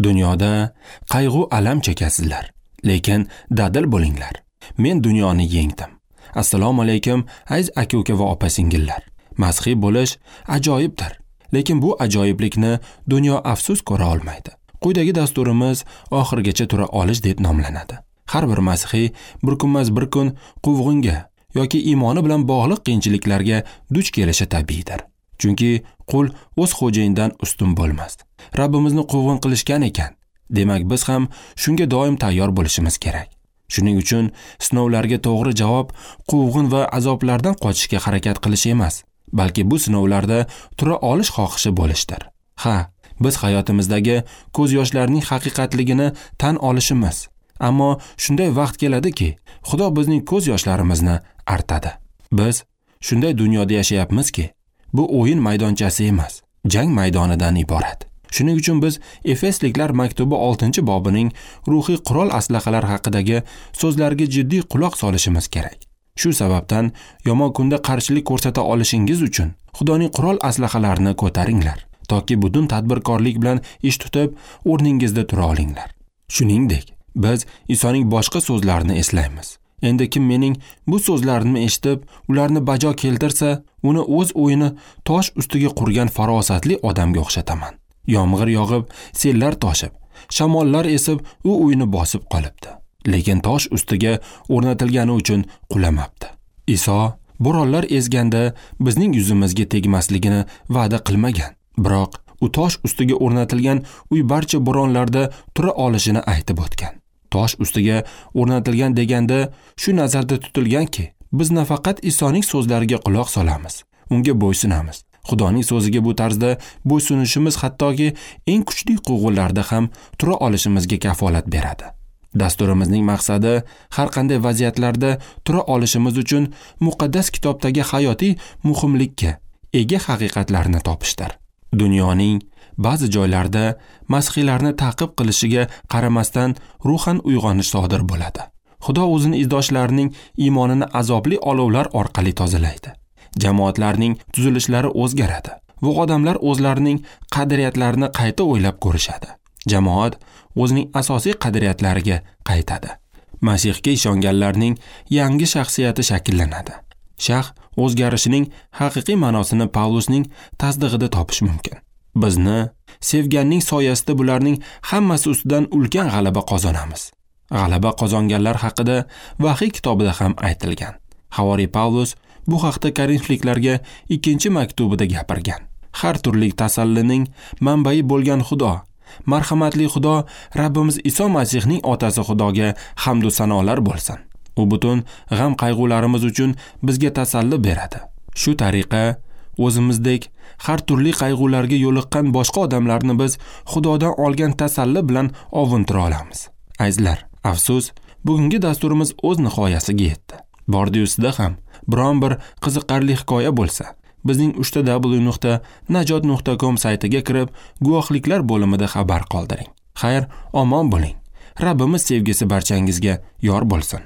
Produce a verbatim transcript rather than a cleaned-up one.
Dunyoda qayg'u alam chekasizlar, lekin dadil bo'linglar. Men dunyoni yengdim. Assalomu alaykum aziz aka-uka va opa-singillar. Masihiy bo'lish ajoyibdir, lekin bu ajoyiblikni dunyo afsus ko'ra olmaydi. Quyidagi dasturimiz oxirigacha tura olish deb nomlanadi. Har bir masihiy bir kunmas bir kun quvg'inga yoki iymoni bilan bog'liq qiyinchiliklarga duch kelishi tabiiydir. Chunki qul o'z xo'jayinidan ustun bo'lmas. Rabbimizni quvg'in qilishgan ekan, demak biz ham shunga doim tayyor bo'lishimiz kerak. Shuning uchun sinovlarga to'g'ri javob quvg'in va azoblardan qochishga harakat qilish emas, balki bu sinovlarda tura olish xohishi bo'lishdir. Ha, biz hayotimizdagi ko'z yoshlarining haqiqatligini tan olishimiz, ammo shunday vaqt keladiki, Xudo bizning ko'z yoshlarimizni artadi. Biz shunday dunyoda yashayapmizki, bu o'yin maydonchasi emas, jang maydonidan iborat. Shuning uchun biz Efesliklar maktubi oltinchi bobining ruhiy qurol aslahalar haqidagi so'zlarga jiddiy quloq solishimiz kerak. Shu sababdan yomon kunda qarshilik ko'rsata olishingiz uchun Xudoning qurol aslahalarini ko'taringlar, toki butun tadbirkorlik bilan ish tutib, o'rningizda tura olinglar. Shuningdek, biz Isoning boshqa so'zlarini eslaymiz. Endi kim mening bu so'zlarimni eshitib, ularni bajo keltirsa, uni o'z o'yini tosh ustiga qurgan farosatli odamga o'xshataman. Yomg'ir yog'ib, sellar toshib, shamollar esib, u uyni bosib qolibdi. Lekin tosh ustiga o'rnatilgani uchun qulamabdi. Iso bo'ronlar ezganda bizning yuzimizga tegmasligini va'da qilmagan. Biroq u tosh ustiga o'rnatilgan uy barcha bo'ronlarda tura olishini aytib o'tgan. Tosh ustiga o'rnatilgan deganda shu nazarda tutilganki, biz nafaqat Isoning so'zlariga quloq solamiz, unga bo'ysunamiz. Xudoning so'ziga bu tarzda bo'ysunishimiz hattoki eng kuchli quvg'inlarda ham tura olishimizga kafolat beradi. Dasturimizning maqsadi har qanday vaziyatlarda tura olishimiz uchun muqaddas kitobdagi hayotiy muhimlikka ega haqiqatlarni topishdir. Dunyoning ba'zi joylarida masihiylarni ta'qib qilishiga qaramasdan ruhan uyg'onish sodir bo'ladi. Xudo o'zini izdoshlarining iymonini azobli olovlar orqali tozalaydi. Jamoatlarning tuzilishlari o'zgaradi va odamlar o'zlarining qadriyatlarini qayta o'ylab ko'rishadi. Jamoat o'zining asosiy qadriyatlariga qaytadi. Masihga ishonganlarning yangi shaxsiyati shakllanadi. Shax o'zgarishining haqiqiy ma'nosini Pavlusning tasdig'ida topish mumkin. Bizni sevganning soyasida bularning hammasi ustidan ulkan g'alaba qozonamiz. G'alaba qozonganlar haqida Vahiy kitobida ham aytilgan. Havoriy Pavlus bu haqda Korinfliklarga ikkinchi maktubida gapirgan. Har turli tasallining manbai bo'lgan Xudo, marhamatli Xudo, Rabbimiz Iso Masihning otasi Xudoga hamd va sanolar bo'lsin. U butun g'am qayg'ularimiz uchun bizga tasalli beradi. Shu tariqa o'zimizdek har turli qayg'ularga yo'liqqan boshqa odamlarni biz Xudodan olgan tasalli bilan ovuntira olamiz. Azizlar, afsus, bugungi dasturimiz o'z nihoyasiga yetdi. Bordi-yusida ham biron bir qiziqarli hikoya bo'lsa, bizning uchta w nuqta najot nuqta com saytiga kirib, guvohliklar bo'limida xabar qoldiring. Xayr, omon bo'ling. Rabbimiz sevgisi barchangizga yor bo'lsin.